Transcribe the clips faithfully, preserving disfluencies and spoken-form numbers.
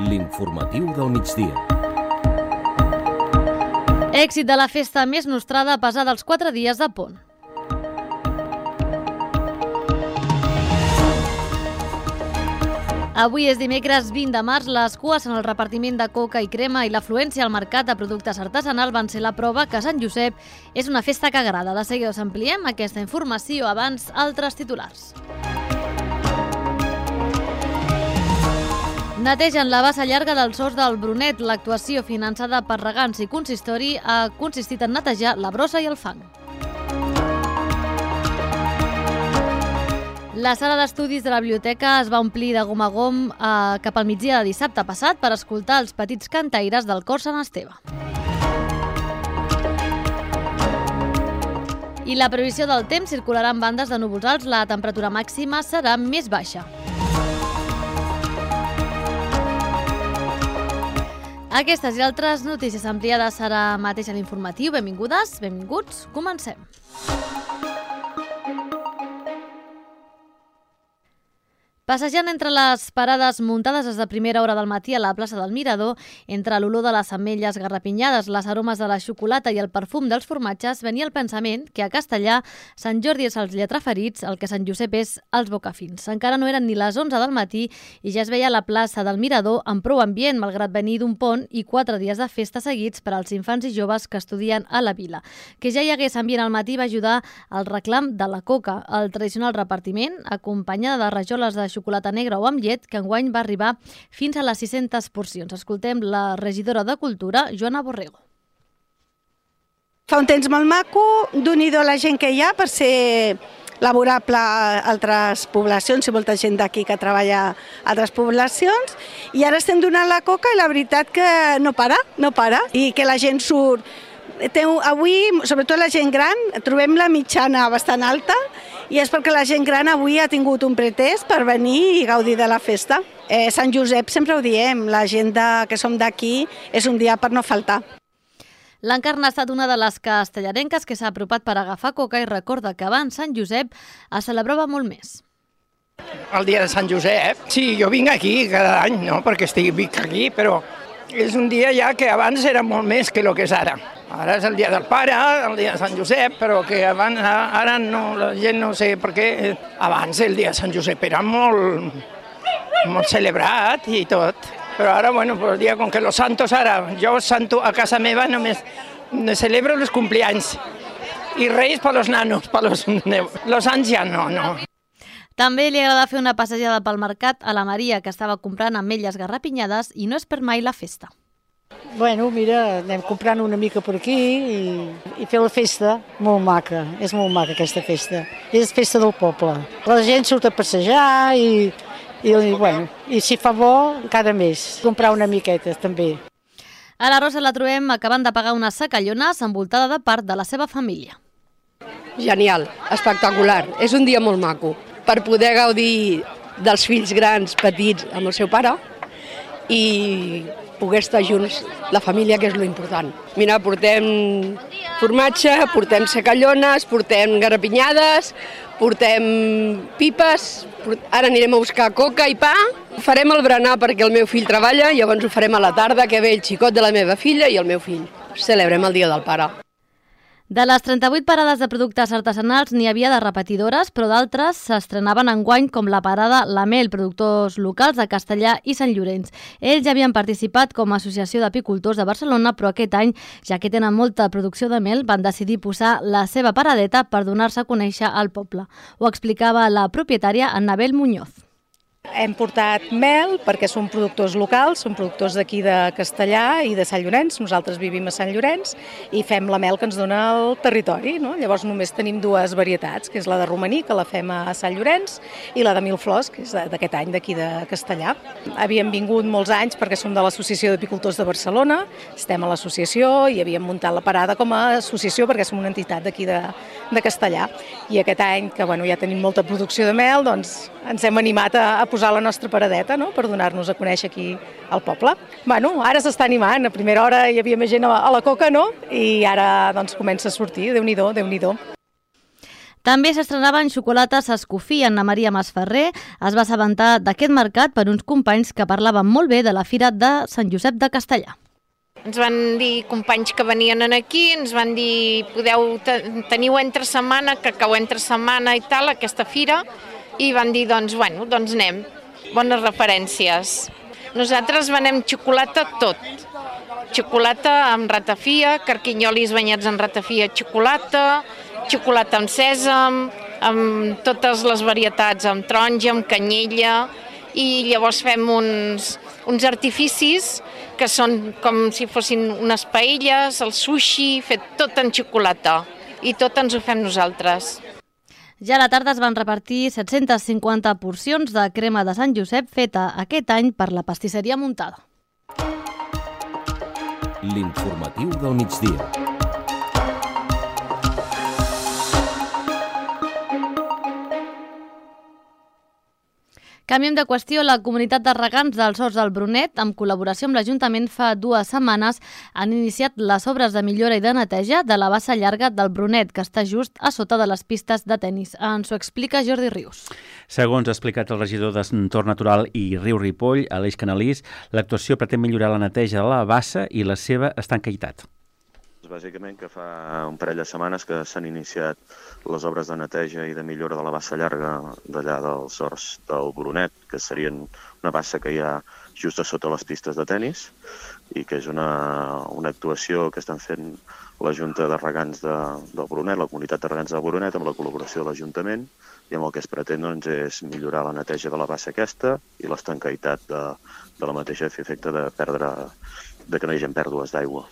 L'informatiu del migdia. Èxit de la festa més nostrada pesada els quatre dies de pont. Avui és dimecres vint de març, les cues en el repartiment de coca i crema i l'afluència al mercat de productes artesanals van ser la prova que Sant Josep és una festa que agrada. De seguida us ampliem aquesta informació, abans altres titulars. Netegen la bassa llarga del Sos del Brunet. L'actuació finançada per regants i consistori ha consistit en netejar la brossa i el fang. La sala d'estudis de la biblioteca es va omplir de gom a gom eh, cap al migdia de dissabte passat per escoltar els petits cantaires del cor Sant Esteve. I la previsió del temps circularà en bandes de núvols alts. La temperatura màxima serà més baixa. Aquestes i altres notícies ampliades serà mateix a l'informatiu. Benvingudes, benvinguts, comencem. Passejant entre les parades muntades des de primera hora del matí a la plaça del Mirador, entre l'olor de les ametlles garrapinyades, les aromes de la xocolata i el perfum dels formatges, venia el pensament que a Castellà Sant Jordi és els lletraferits, el que Sant Josep és els bocafins. Encara no eren ni les onze del matí i ja es veia la plaça del Mirador amb prou ambient, malgrat venir d'un pont i quatre dies de festa seguits per als infants i joves que estudien a la vila. Que ja hi hagués ambient al matí va ajudar al reclam de la coca, el tradicional repartiment, acompanyada de rajoles de xocolata negra o amb llet, que enguany va arribar fins a les sis-centes porcions. Escoltem la regidora de Cultura, Joana Borrego. Fa un temps molt maco, d'un-i-do la gent que hi ha per ser laborable a altres poblacions, i molta gent d'aquí que treballa a altres poblacions, i ara estem donant la coca i la veritat que no para, no para, i que la gent surt. Avui, sobretot la gent gran, trobem la mitjana bastant alta i és perquè la gent gran avui ha tingut un pretest per venir i gaudir de la festa. Eh, Sant Josep sempre ho diem, la gent de, que som d'aquí és un dia per no faltar. L'Encarna ha estat una de les castellarenques que s'ha apropat per agafar coca i recorda que abans Sant Josep es celebrava molt més. El dia de Sant Josep? Sí, jo vinc aquí cada any, no perquè estic vinc aquí, però és un dia ja que abans era molt més que el que és ara. Ara és el dia del pare, el dia de Sant Josep, però que abans, ara no, la gent no sé per què. Abans el dia de Sant Josep era molt, molt celebrat i tot. Però ara, bueno, el dia com que los santos ara, jo santo a casa meva només celebro els cumpleaños i reis per los nanos, per los, los anys ja no, no. També li agrada fer una passejada pel mercat a la Maria, que estava comprant ametlles garrapinyades i no és per mai la festa. Bueno, mira, anem comprant una mica per aquí i, i fer la festa molt maca, és molt maca aquesta festa. És festa del poble. La gent surt a passejar i, i, bueno, i si fa bo, encara més. Comprar una miqueta, també. A la Rosa la trobem acabant de pagar unes sacallones envoltada de part de la seva família. Genial, espectacular. És un dia molt maco per poder gaudir dels fills grans, petits, amb el seu pare i poder estar junts, la família, que és lo important. Mira, portem formatge, portem secallones, portem garrapinyades, portem pipes, ara anirem a buscar coca i pa. Farem el berenar perquè el meu fill treballa, llavors ho farem a la tarda, que ve el xicot de la meva filla i el meu fill. Celebrem el dia del pare. De les trenta-vuit parades de productes artesanals n'hi havia de repetidores, però d'altres s'estrenaven enguany, com la parada La Mel, productors locals de Castellà i Sant Llorenç. Ells ja havien participat com a associació d'apicultors de Barcelona, però aquest any, ja que tenen molta producció de mel, van decidir posar la seva paradeta per donar-se a conèixer al poble. Ho explicava la propietària Annabel Muñoz. Hem portat mel perquè són productors locals, són productors d'aquí de Castellà i de Sant Llorenç. Nosaltres vivim a Sant Llorenç i fem la mel que ens dona el territori, no? Llavors només tenim dues varietats, que és la de romaní, que la fem a Sant Llorenç, i la de mil flors, que és d'aquest any d'aquí de Castellà. Havíem vingut molts anys perquè som de l'Associació d'Apicultors de Barcelona, estem a l'associació i havíem muntat la parada com a associació perquè som una entitat d'aquí de, de Castellà. I aquest any, que bueno, ja tenim molta producció de mel, doncs ens hem animat a, a posar la nostra paradeta, no?, per donar-nos a conèixer aquí al poble. Bueno, ara s'està animant, a primera hora hi havia més gent a la, a la coca, no?, i ara doncs comença a sortir, Déu-n'hi-do, Déu-n'hi-do. També s'estrenaven xocolates Escofí. Anna Maria Masferrer es va assabentar d'aquest mercat per uns companys que parlaven molt bé de la Fira de Sant Josep de Castellar. Ens van dir companys que venien aquí, ens van dir podeu teniu entre setmana, que cau entre setmana i tal, aquesta fira, i van dir doncs, bueno, doncs anem. Bones referències. Nosaltres venem xocolata tot. Xocolata amb ratafia, carquinyolis banyats en ratafia, xocolata, xocolata amb sèsam, amb totes les varietats, amb taronja, amb canyella, i llavors fem uns, uns artificis que són com si fossin unes paelles, el sushi, fet tot en xocolata, i tot ens ho fem nosaltres. Ja a la tarda es van repartir set-centes cinquanta porcions de crema de Sant Josep feta aquest any per la pastisseria Muntada. L'informatiu del migdia. Canviem de qüestió. La comunitat de regants dels Horts del Brunet, en col·laboració amb l'Ajuntament, fa dues setmanes han iniciat les obres de millora i de neteja de la bassa llarga del Brunet, que està just a sota de les pistes de tennis. Ens ho explica Jordi Rius. Segons ha explicat el regidor d'Entorn Natural i Riu Ripoll, Aleix Canalís, l'actuació pretén millorar la neteja de la bassa i la seva estanquitat. Bàsicament que fa un parell de setmanes que s'han iniciat les obres de neteja i de millora de la bassa llarga d'allà dels Horts del Brunet, que serien una bassa que hi ha just a sota les pistes de tennis i que és una, una actuació que estan fent la Junta de Regants de, del Brunet, la comunitat de regants del Brunet, amb la col·laboració de l'Ajuntament, i amb el que es pretén doncs, és millorar la neteja de la bassa aquesta i l'estanquitat de, de la mateixa a fer efecte de perdre, de que no hi hagi pèrdues d'aigua.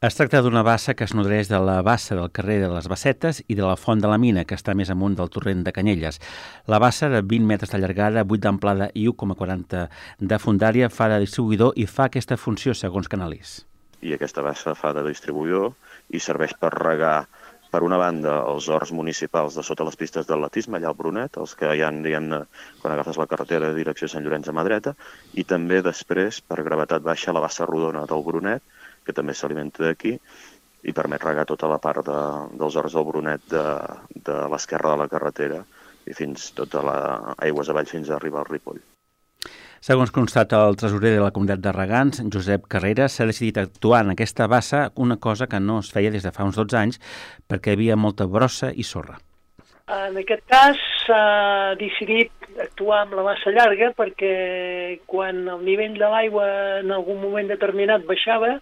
Es tracta d'una bassa que es nodreix de la bassa del carrer de les Bassetes i de la Font de la Mina, que està més amunt del torrent de Canyelles. La bassa, de vint metres de llargada, vuit d'amplada i u coma quaranta de fondària, fa de distribuïdor i fa aquesta funció, segons Canalís. I aquesta bassa fa de distribuïdor i serveix per regar, per una banda, els horts municipals de sota les pistes d'atletisme, allà al Brunet, els que hi ha, diguem-ne, quan agafes la carretera de direcció a Sant Llorenç a mà dreta, i també després, per gravetat baixa, la bassa rodona del Brunet, que també s'alimenta d'aquí i permet regar tota la part de, dels horts del Brunet de, de l'esquerra de la carretera i fins tota la aigües avall fins a arribar al Ripoll. Segons constata el tresorer de la comunitat de regants, Josep Carreras, s'ha decidit actuar en aquesta bassa, una cosa que no es feia des de fa uns dotze anys perquè hi havia molta brossa i sorra. En aquest cas s'ha decidit actuar amb la bassa llarga perquè quan el nivell de l'aigua en algun moment determinat baixava,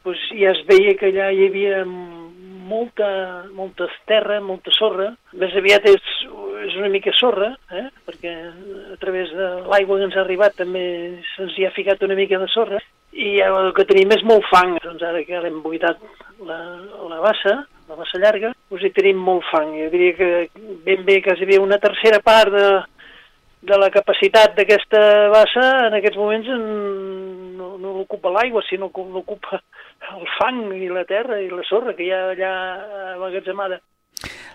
doncs ja es veia que allà hi havia molta, molta terra, molta sorra. Més aviat és, és una mica sorra, eh? Perquè a través de l'aigua que ens ha arribat també se'ns hi ha ficat una mica de sorra. I el que tenim és molt fang. Doncs ara que l'hem buidat la, la bassa, la bassa llarga, doncs hi tenim molt fang. Jo diria que ben bé quasi bé una tercera part de, de la capacitat d'aquesta bassa en aquests moments no, no l'ocupa l'aigua, sinó que l'ocupa el fang i la terra i la sorra que hi ha allà emmagatzemada.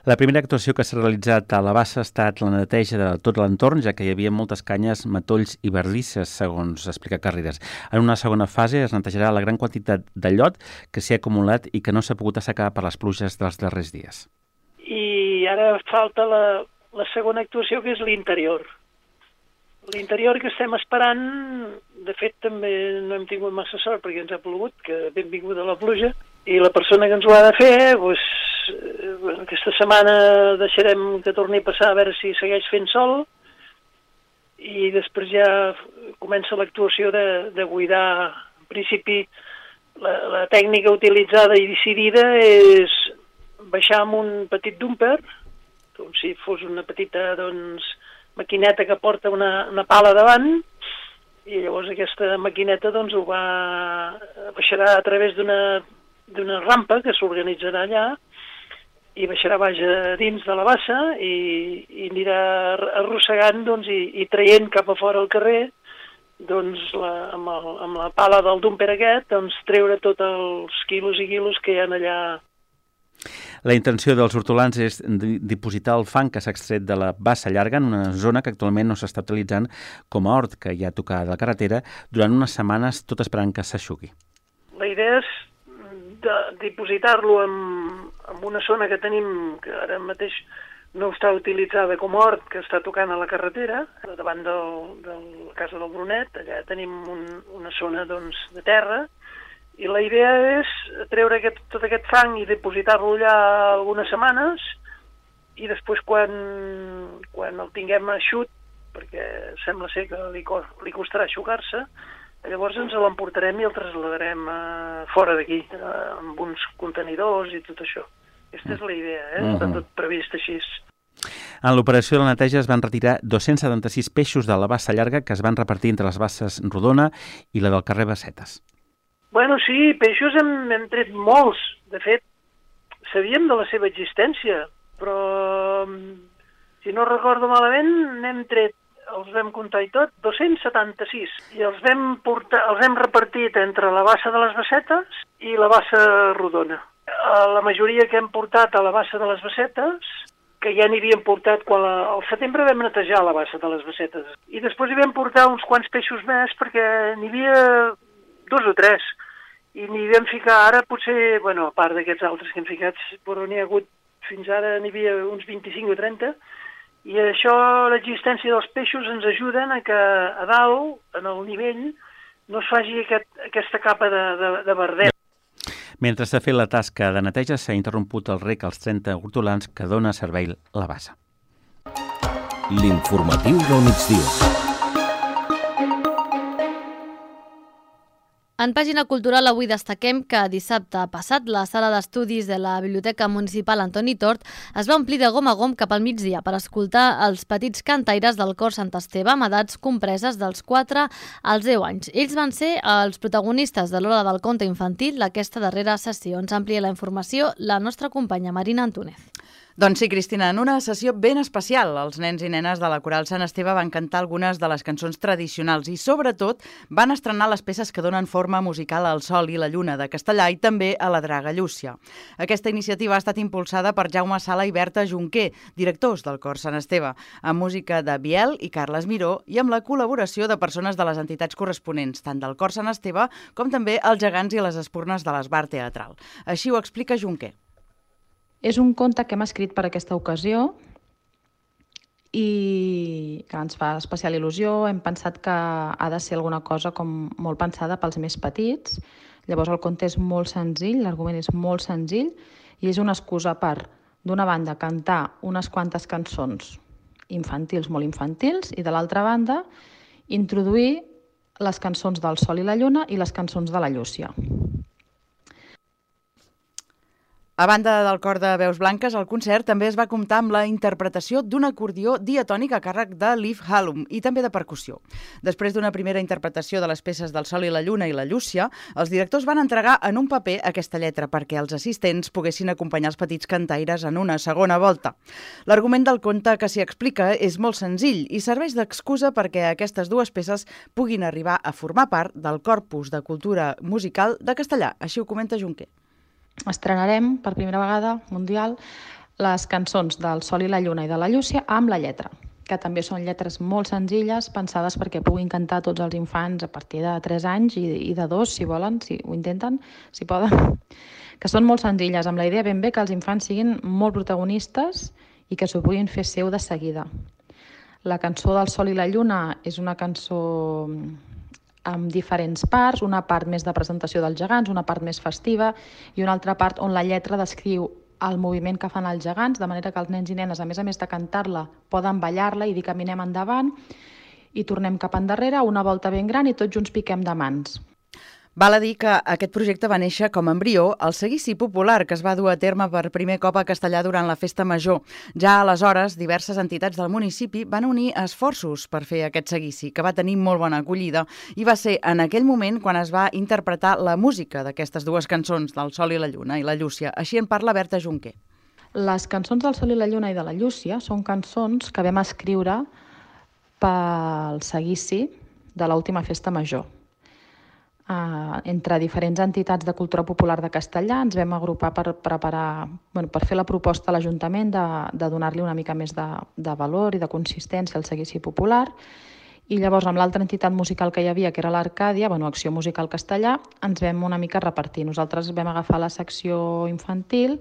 La primera actuació que s'ha realitzat a la bassa ha estat la neteja de tot l'entorn, ja que hi havia moltes canyes, matolls i bardisses, segons explica Carreras. En una segona fase es netejarà la gran quantitat de llot que s'hi ha acumulat i que no s'ha pogut assecar per les pluges dels darrers dies. I ara falta la, la segona actuació, que és l'interior. L'interior que estem esperant, de fet també no hem tingut massa sort perquè ens ha plogut, que benvinguda la pluja, i la persona que ens ho ha de fer, doncs, bueno, aquesta setmana deixarem que torni a passar a veure si segueix fent sol, i després ja comença l'actuació de, de buidar. En principi, la, la tècnica utilitzada i decidida és baixar amb un petit dumper, com si fos una petita, doncs, maquineta que porta una, una pala davant, i llavors aquesta maquineta doncs, ho va, baixarà a través d'una d'una rampa que s'organitzarà allà i baixarà baix a dins de la bassa i, i anirà arrossegant doncs, i, i traient cap a fora al carrer doncs, la, amb, el, amb la pala del dumper aquest doncs, treure tots els quilos i quilos que hi ha allà. La intenció dels hortolans és dipositar el fang que s'ha extret de la bassa llarga en una zona que actualment no s'està utilitzant com a hort, que hi ha tocada de la carretera, durant unes setmanes, tot esperant que s'aixugui. La idea és dipositar-lo en, en una zona que tenim, que ara mateix no està utilitzada com a hort, que està tocant a la carretera, davant del, de la casa del Brunet. Allà tenim un, una zona doncs, de terra, i la idea és treure aquest, tot aquest fang i dipositar-lo allà algunes setmanes, i després quan, quan el tinguem eixut, perquè sembla ser que li, li costarà aixugar-se, llavors ens l'emportarem i el traslladarem uh, fora d'aquí, uh, amb uns contenidors i tot això. Aquesta és la idea, eh? Uh-huh. Està tot previst així. En l'operació de la neteja es van retirar dos-cents setanta-sis peixos de la bassa llarga que es van repartir entre les basses Rodona i la del carrer Bassetes. Bueno, sí, peixos hem, hem tret molts. De fet, sabíem de la seva existència, però si no recordo malament, n'hem tret, els vam comptar i tot, dos-cents setanta-sis. I els vam, portar, els hem repartit entre la bassa de les Bassetes i la bassa Rodona. La majoria que hem portat a la bassa de les Bassetes, que ja n'hi havíem portat quan la, al setembre vam netejar la bassa de les Bassetes. I després hi vam portar uns quants peixos més perquè n'hi havia dos o tres. I n'hi vam ficar ara, potser, bueno, a part d'aquests altres que hem ficat, però n'hi ha hagut, fins ara n'hi havia uns vint-i-cinc o trenta, i això, l'existència dels peixos ens ajuden a que a dalt, en el nivell, no es faci aquest, aquesta capa de, de, de verdet. Mentre s'ha fet la tasca de neteja, s'ha interromput el rec als trenta hortolans que dona servei la bassa. L'informatiu del migdia. En pàgina cultural avui destaquem que dissabte passat la sala d'estudis de la Biblioteca Municipal Antoni Tort es va omplir de gom a gom cap al migdia per escoltar els petits cantaires del cor Sant Esteve amb edats compreses dels quatre als deu anys. Ells van ser els protagonistes de l'hora del conte infantil d'aquesta darrera sessió. Ens amplia la informació la nostra companya Marina Antúnez. Doncs sí, Cristina, en una sessió ben especial, els nens i nenes de la Coral Sant Esteve van cantar algunes de les cançons tradicionals i, sobretot, van estrenar les peces que donen forma musical al Sol i la Lluna de Castellà i també a la Draga Llúcia. Aquesta iniciativa ha estat impulsada per Jaume Sala i Berta Junquer, directors del Cor Sant Esteve, amb música de Biel i Carles Miró i amb la col·laboració de persones de les entitats corresponents, tant del Cor Sant Esteve com també els gegants i les espurnes de l'Esbar Teatral. Així ho explica Junquer. És un conte que hem escrit per aquesta ocasió i que ens fa especial il·lusió. Hem pensat que ha de ser alguna cosa com molt pensada pels més petits. Llavors el conte és molt senzill, l'argument és molt senzill i és una excusa per, d'una banda, cantar unes quantes cançons infantils, molt infantils, i de l'altra banda, introduir les cançons del Sol i la Lluna i les cançons de la Llúcia. A banda del cor de veus blanques, el concert també es va comptar amb la interpretació d'un acordió diatònic a càrrec de Liv Hallum i també de percussió. Després d'una primera interpretació de les peces del Sol i la Lluna i la Llúcia, els directors van entregar en un paper aquesta lletra perquè els assistents poguessin acompanyar els petits cantaires en una segona volta. L'argument del conte que s'hi explica és molt senzill i serveix d'excusa perquè aquestes dues peces puguin arribar a formar part del corpus de cultura musical de Castellà. Així ho comenta Junquer. Estrenarem per primera vegada mundial les cançons del Sol i la Lluna i de la Llúcia amb la lletra, que també són lletres molt senzilles, pensades perquè puguin cantar tots els infants a partir de tres anys i, i de dos, si volen, si ho intenten, si poden, que són molt senzilles, amb la idea ben bé que els infants siguin molt protagonistes i que s'ho puguin fer seu de seguida. La cançó del Sol i la Lluna és una cançó amb diferents parts, una part més de presentació dels gegants, una part més festiva i una altra part on la lletra descriu el moviment que fan els gegants, de manera que els nens i nenes, a més a més de cantar-la, poden ballar-la i dir caminem endavant i tornem cap endarrere, una volta ben gran i tots junts piquem de mans. Val a dir que aquest projecte va néixer com a embrió al seguici popular que es va dur a terme per primer cop a Castellà durant la Festa Major. Ja aleshores, diverses entitats del municipi van unir esforços per fer aquest seguici, que va tenir molt bona acollida, i va ser en aquell moment quan es va interpretar la música d'aquestes dues cançons, del Sol i la Lluna i la Llúcia. Així en parla Berta Junquer. Les cançons del Sol i la Lluna i de la Llúcia són cançons que vam escriure pel seguici de l'última Festa Major. Uh, entre diferents entitats de cultura popular de Castellà ens vam agrupar per preparar, bueno, per fer la proposta a l'Ajuntament de, de donar-li una mica més de, de valor i de consistència al seguici popular I llavors, amb l'altra entitat musical que hi havia, que era l'Arcàdia, bueno, Acció Musical Castellà, ens vam una mica repartir. Nosaltres vam agafar la secció infantil.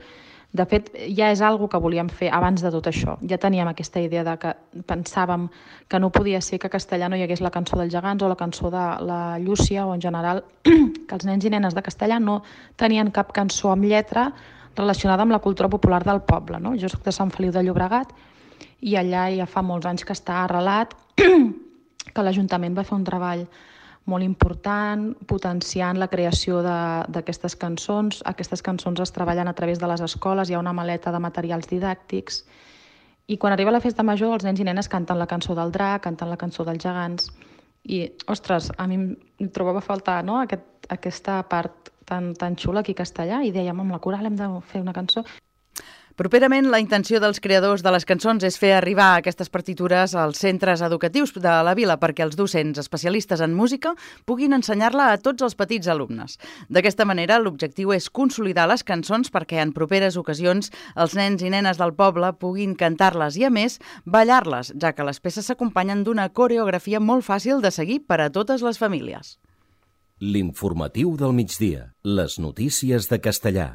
De fet, ja és algo que volíem fer abans de tot això. Ja teníem aquesta idea de que pensàvem que no podia ser que a castellà no hi hagués la cançó dels gegants o la cançó de la Llúcia, o en general que els nens i nenes de castellà no tenien cap cançó amb lletra relacionada amb la cultura popular del poble. No? Jo soc de Sant Feliu de Llobregat i allà ja fa molts anys que està arrelat que l'Ajuntament va fer un treball molt important, potenciant la creació d'aquestes cançons. Aquestes cançons es treballen a través de les escoles, hi ha una maleta de materials didàctics, i quan arriba la festa major els nens i nenes canten la cançó del drac, canten la cançó dels gegants, i, ostres, a mi em trobava a faltar, no?, Aquest, aquesta part tan, tan xula aquí a castellà, i dèiem, amb la coral hem de fer una cançó. Properament, la intenció dels creadors de les cançons és fer arribar aquestes partitures als centres educatius de la vila perquè els docents especialistes en música puguin ensenyar-la a tots els petits alumnes. D'aquesta manera, l'objectiu és consolidar les cançons perquè en properes ocasions els nens i nenes del poble puguin cantar-les i, a més, ballar-les, ja que les peces s'acompanyen d'una coreografia molt fàcil de seguir per a totes les famílies. L'informatiu del migdia. Les notícies de Castellà.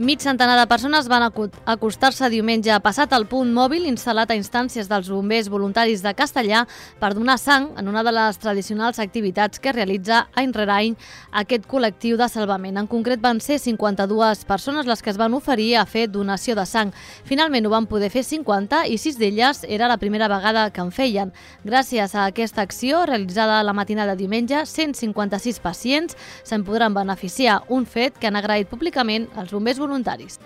Mig centenar de persones van acostar-se diumenge passat al punt mòbil instal·lat a instàncies dels bombers voluntaris de Castellà per donar sang en una de les tradicionals activitats que realitza any rere any aquest col·lectiu de salvament. En concret van ser cinquanta-dues persones les que es van oferir a fer donació de sang. Finalment ho van poder fer cinquanta i sis d'elles era la primera vegada que en feien. Gràcies a aquesta acció realitzada la matinada de diumenge, cent cinquanta-sis pacients se'n podran beneficiar, un fet que han agraït públicament els bombers voluntaris. voluntaris.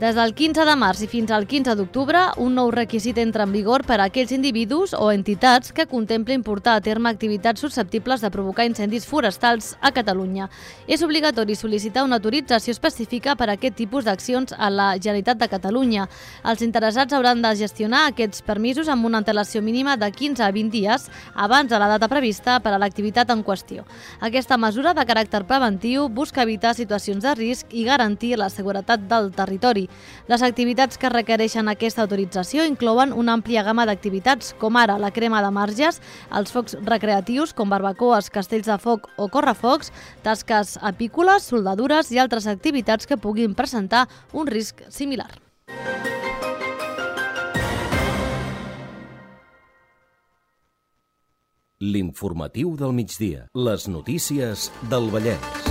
Des del quinze de març i fins al quinze d'octubre, un nou requisit entra en vigor per a aquells individus o entitats que contemplin portar a terme activitats susceptibles de provocar incendis forestals a Catalunya. És obligatori sol·licitar una autorització específica per a aquest tipus d'accions a la Generalitat de Catalunya. Els interessats hauran de gestionar aquests permisos amb una antelació mínima de quinze a vint dies abans de la data prevista per a l'activitat en qüestió. Aquesta mesura de caràcter preventiu busca evitar situacions de risc i garantir la seguretat del territori. Les activitats que requereixen aquesta autorització inclouen una àmplia gamma d'activitats, com ara la crema de marges, els focs recreatius com barbacoes, castells de foc o correfocs, tasques apícoles, soldadures i altres activitats que puguin presentar un risc similar. L'informatiu del migdia. Les notícies del Vallès.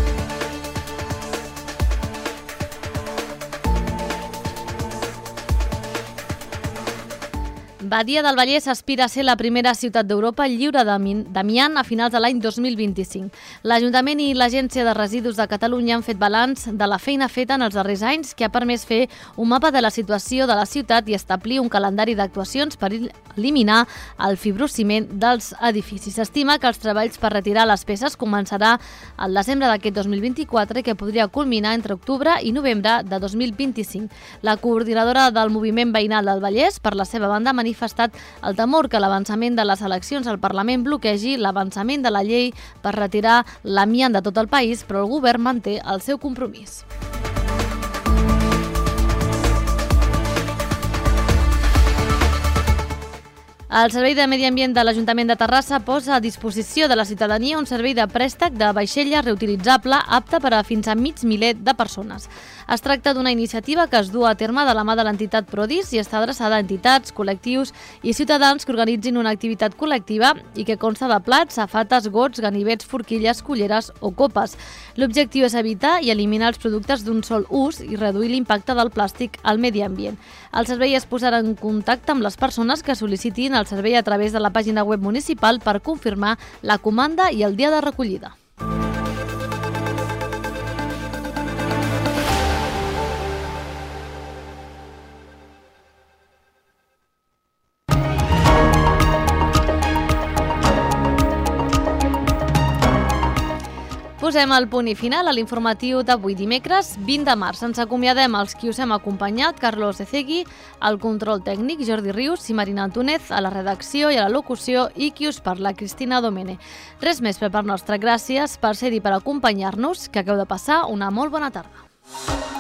Badia del Vallès aspira a ser la primera ciutat d'Europa lliure d'amiant a finals de l'any dos mil vint-i-cinc. L'Ajuntament i l'Agència de Residus de Catalunya han fet balanç de la feina feta en els darrers anys que ha permès fer un mapa de la situació de la ciutat i establir un calendari d'actuacions per eliminar el fibrociment dels edificis. S'estima que els treballs per retirar les peces començarà al desembre d'aquest dos mil vint-i-quatre, que podria culminar entre octubre i novembre de dos mil vint-i-cinc. La coordinadora del Moviment Veïnal del Vallès, per la seva banda, manifesta manifestat el temor que l'avançament de les eleccions al Parlament bloquegi l'avançament de la llei per retirar l'amiant de tot el país, però el govern manté el seu compromís. El Servei de Medi Ambient de l'Ajuntament de Terrassa posa a disposició de la ciutadania un servei de préstec de vaixella reutilitzable apte per a fins a mig miler de persones. Es tracta d'una iniciativa que es du a terme de la mà de l'entitat Prodis i està adreçada a entitats, col·lectius i ciutadans que organitzin una activitat col·lectiva i que consta de plats, safates, gots, ganivets, forquilles, culleres o copes. L'objectiu és evitar i eliminar els productes d'un sol ús i reduir l'impacte del plàstic al medi ambient. El servei es posarà en contacte amb les persones que sol·licitin el servei a través de la pàgina web municipal per confirmar la comanda i el dia de recollida. posem el punt i final a l'informatiu d'avui dimecres vint de març. Ens acomiadem els qui us hem acompanyat, Carlos Ecegui, al control tècnic, Jordi Rius i Marina Antúnez, a la redacció i a la locució, i qui us parla, Cristina Domene. Res més per part nostra. Gràcies per ser-hi, per acompanyar-nos, que hagueu de passar una molt bona tarda.